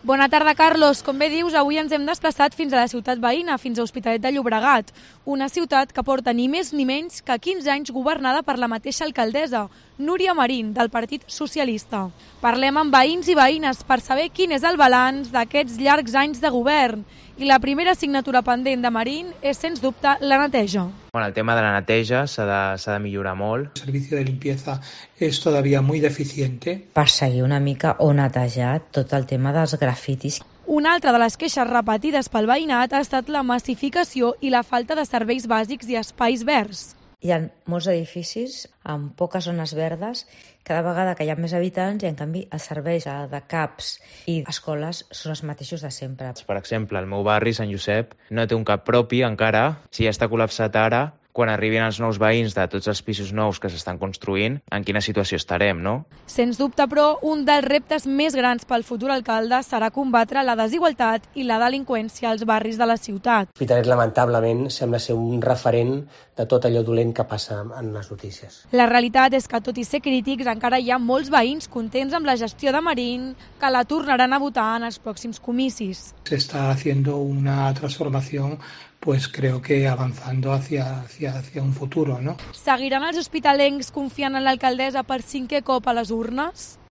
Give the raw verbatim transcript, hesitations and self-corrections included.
Bona tarda, Carlos. Com bé dius, avui ens hem desplaçat fins a la ciutat veïna, fins a Hospitalet de Llobregat, una ciutat que porta ni més ni menys que quinze anys governada per la mateixa alcaldessa, Núria Marín, del Partit Socialista. Parlem amb veïns i veïnes per saber quin és el balanç d'aquests llargs anys de govern. I la primera assignatura pendent de Marín és, sens dubte, la neteja. Bueno, el tema de la neteja s'ha de, s'ha de millorar molt. El servicio de limpieza es todavía muy deficiente. Perseguir una mica o netejar tot el tema dels grafitis. Una altra de les queixes repetides pel veïnat ha estat la massificació i la falta de serveis bàsics i espais verds. Hi ha molts edificis amb poques zones verdes, cada vegada que hi ha més habitants i, en canvi, els serveis de CAPs i escoles són els mateixos de sempre. Per exemple, el meu barri, Sant Josep, no té un CAP propi encara. Si ja està col·lapsat ara, quan arribin els nous veïns de tots els pisos nous que s'estan construint, en quina situació estarem, no? Sens dubte, però, un dels reptes més grans pel futur alcalde serà combatre la desigualtat i la delinqüència als barris de la ciutat. Hospitalet, lamentablement, sembla ser un referent de tot allò dolent que passa en les notícies. La realitat és que, tot i ser crítics, encara hi ha molts veïns contents amb la gestió de Marín que la tornaran a votar en els pròxims comicis. Se está haciendo una transformación, pues creo que avanzando hacia, hacia, hacia un futuro, ¿no? Seguiran els hospitalencs confiant en l'alcaldessa per cinquè cop a les urnes?